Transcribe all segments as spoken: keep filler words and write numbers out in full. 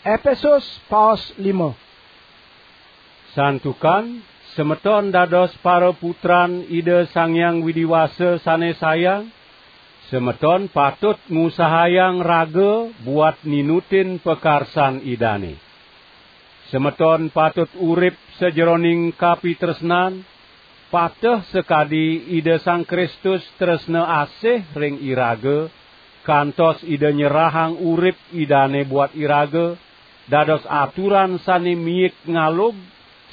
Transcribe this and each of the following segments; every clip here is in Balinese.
Epesus paos lima. Santukan semeton dados paraputran Ida Sang Hyang Widi Wasa sane sayang, semeton patut ngusahayang raga buat ninutin pakarsan Idane. Semeton patut urip sajeroning kapitresnan, pateh sakadi Ida Sang Kristus tresna asih ring iraga, kantos Ida nyerahang urip Idane buat iraga, dados aturan sane miik ngalub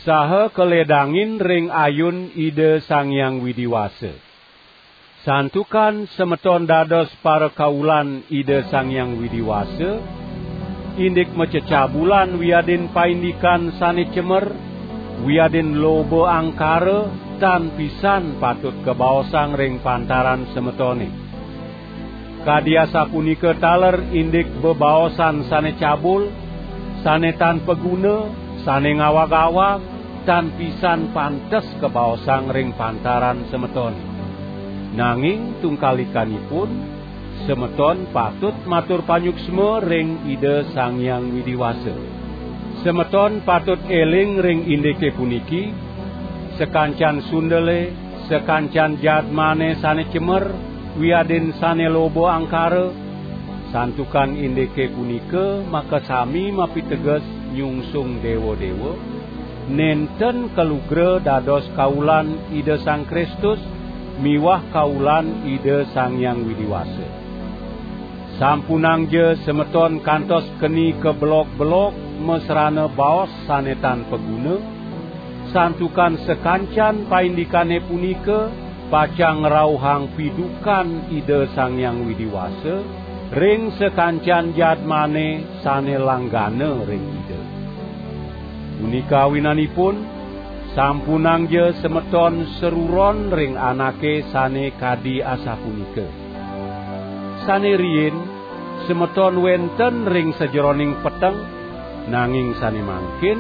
saha kaledangin ring ayun Ida Sang Hyang Widi Wasa. Santukan semeton dados parakaulan Ida Sang Hyang Widi Wasa, indik macecabulan wiadin paindikan sane cemer, wiadin loba angkara, tan pisan patut kabaosang ring pantaran semetone. Kadi asapunika taler indik bebaosan sane cabul, sane tan paguna, sane ngawag-awag, tan pisan pantes kabaosang ring pantaran semeton. Nanging tungkalikanipun, semeton patut matur panyuksma ring Ida Sang Hyang Widi Wasa. Semeton patut eling ring indike puniki, sakancan sundele, sakancan jadmane sane cemer, wiadin sane loba angkara, santukan indike punika makasami mapiteges nyungsung dewa-dewa, nenten kalugra dados kaulan Ida Sang Kristus miwah kaulan Ida Sang Hyang Widi Wasa. Sampunangja semeton kantos keni kabelog-belog masrana baos sane tan paguna, santukan sakancan paindikane punika pacang ngrauhang pidukan Ida Sang Hyang Widi Wasa ring sakancan jadmane sane langgana ring Ida. Punika awinanipun, sampunangja semeton saruron ring anake sane kadi asapunika. Sane riin, semeton wenten ring sajeroning peteng, nanging sane mangkin,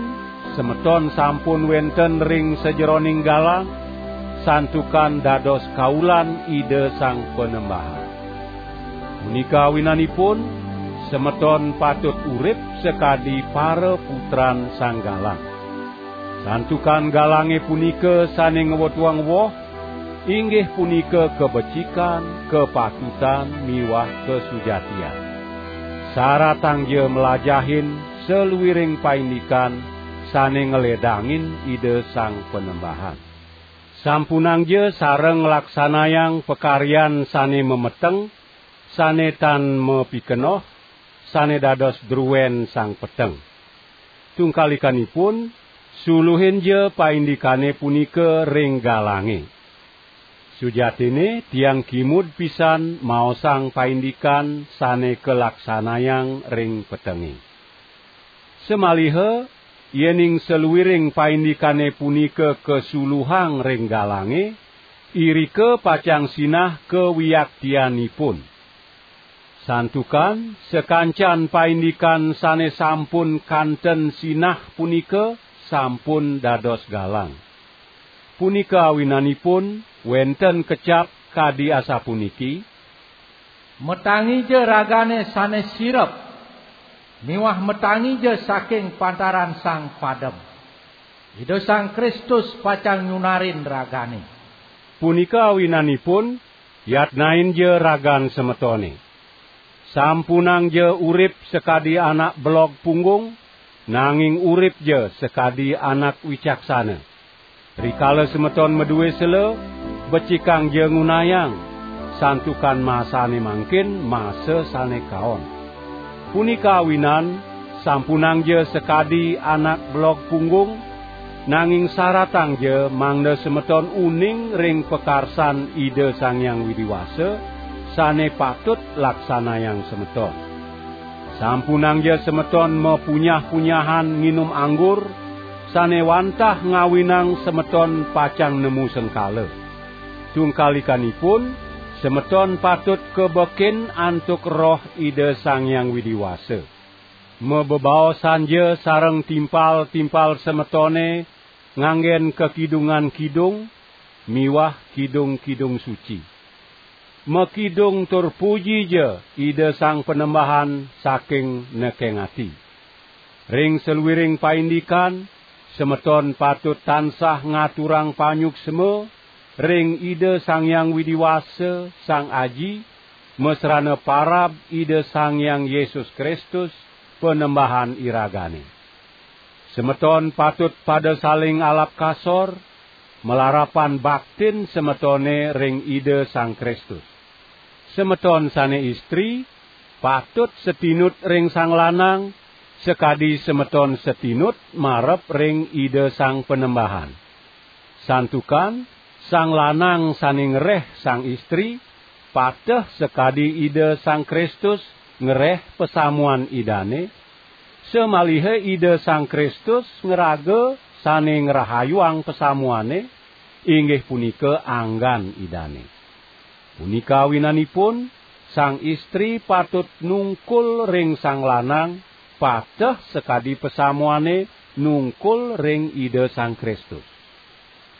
semeton sampun wenten ring sajeroning galang, santukan dados kaulan Ida Sang Panembahan. Punika awinanipun, semeton patut urip sakadi para putran Sang Galang. Santukan galange punika sane ngwetuang woh, inggih punika kabecikan, kapatutan, miwah kasujatian. Saratangja mlajahin saluiring paindikan sane ngledangin Ida Sang Panembahan. Sampunangja sareng nglaksanayang pakaryan sane mameteng, sane tan mapikenoh, sane dados druen sang peteng. Tungkalikanipun, suluhinja paindikane punika ring galange. Sujatine, tiang kimud pisan maosang paindikan sane kalaksanayang ring petenge. Samaliha, yening saluiring paindikane punika kasuluhang ring galange, irika pacang sinah kawiaktianipun. Santukan sakancan paindikan sane sampun kanten sinah punika sampun dados galang. Punika awinanipun wenten kecap kadi asapuniki: "Matangija ragane sane sirep, miwah matangija saking pantaran Sang Padem. Ida Sang Kristus pacang nyunarin ragane." Punika awinanipun, yatnainja ragan semetone. Sampunangja urip sakadi anak belog punggung, nanging uripja sakadi anak wicaksana. Rikala semeton madue sela, becikangja ngunayang, santukan masane mangkin masa sane kaon. Punika awinan, sampunangja sakadi anak belog punggung, nanging saratangja mangda semeton uning ring pakarsan Ida Sang Hyang Widi Wasa, sane patut laksanayang semeton. Sampunangja semeton mapunyah-punyahan nginum anggur, sane wantah ngawinang semeton pacang nemu sengkala. Tungkalikanipun, semeton patut kabekin antuk Roh Ida Sang Hyang Widi Wasa. Mabebaosanja sareng timpal-timpal semetone nganggen kakidungan kidung miwah kidung-kidung suci. Makidung tur pujija Ida Sang Panembahan saking nekeng ati. Ring saluiring paindikan, semeton patut tansah ngaturang panyuksma ring Ida Sang Hyang Widi Wasa, Sang Aji, masrana parab Ida Sang Hyang Yesus Kristus, Panembahan iragane. Semeton patut pada saling alap kasor, malarapan baktin semetone ring Ida Sang Kristus. Semeton sane istri patut satinut ring sang lanang, sakadi semeton satinut marep ring Ida Sang Panembahan. Santukan sang lanang sane ngreh sang istri, pateh sakadi Ida Sang Kristus ngreh pasamuan Idane, samaliha Ida Sang Kristus ngraga sane ngrahayuang pasamuane, inggih punika anggan Idane. Punika awinanipun, sang istri patut nungkul ring sang lanang, pateh sakadi pasamuane nungkul ring Ida Sang Kristus.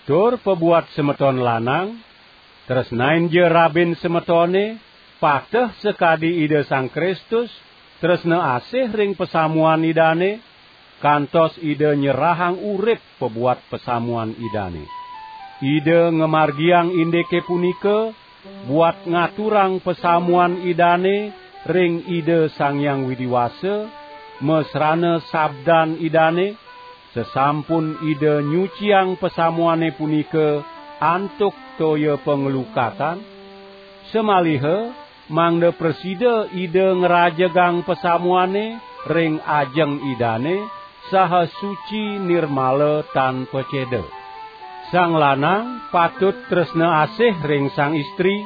Tur pabuat semeton lanang, tresnainja rabin semetone, pateh sakadi Ida Sang Kristus tresna asih ring pasamuan Idane, kantos Ida nyerahang urip pabuat pasamuan Idane. Ida ngamargiang indike punika buat ngaturang pasamuan Idane ring Ida Sang Hyang Widi Wasa, masrana sabdan Idane, sasampun Ida nyuciang pasamuane punika antuk toya panglukatan, samaliha mangda prasida Ida ngrajegang pasamuane ring ajeng Idane, saha suci nirmala tan paceda. Sang lanang patut tresna asih ring sang istri,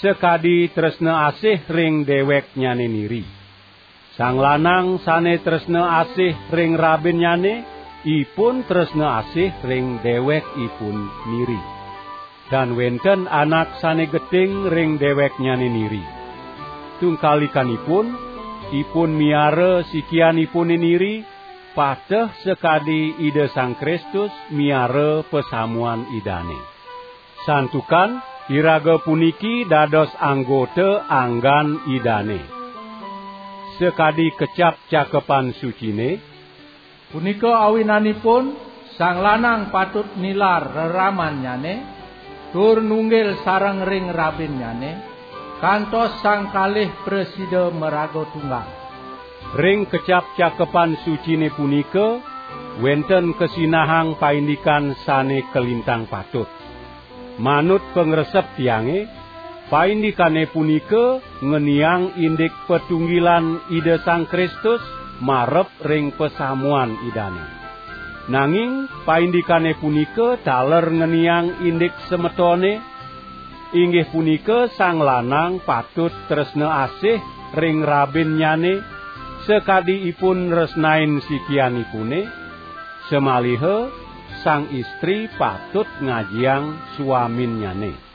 sakadi tresna asih ring deweknyane niri. Sang lanang sane tresna asih ring rabinnyane, ipun tresna asih ring dewekipun niri. Tan wenten anak sane geting ring deweknyane niri. Tungkalikanipun, ipun miara sikianipune niri, pateh sakadi Ida Sang Kristus miara pasamuan Idane. Santukan iraga puniki dados anggota anggan Idane. Sakadi kecap Cakepan Sucine, punika awinanipun, sang lanang patut nilar reramannyane, tur nunggil sareng ring rabinnyane, kantos sang kalih prasida maraga tunggal. Ring kecap Cakepan Sucine punika wenten kasinahang paindikan sane kalintang patut. Manut pangresep tiange, paindikane punika ngeniang indik patunggilan Ida Sang Kristus marep ring pasamuan Idane. Nanging paindikane punika taler ngeniang indik semetone, inggih punika sang lanang patut tresna asih ring rabinnyane, sakadi ipun nresnain sikianipune, samaliha sang istri patut ngajiang swaminnyane.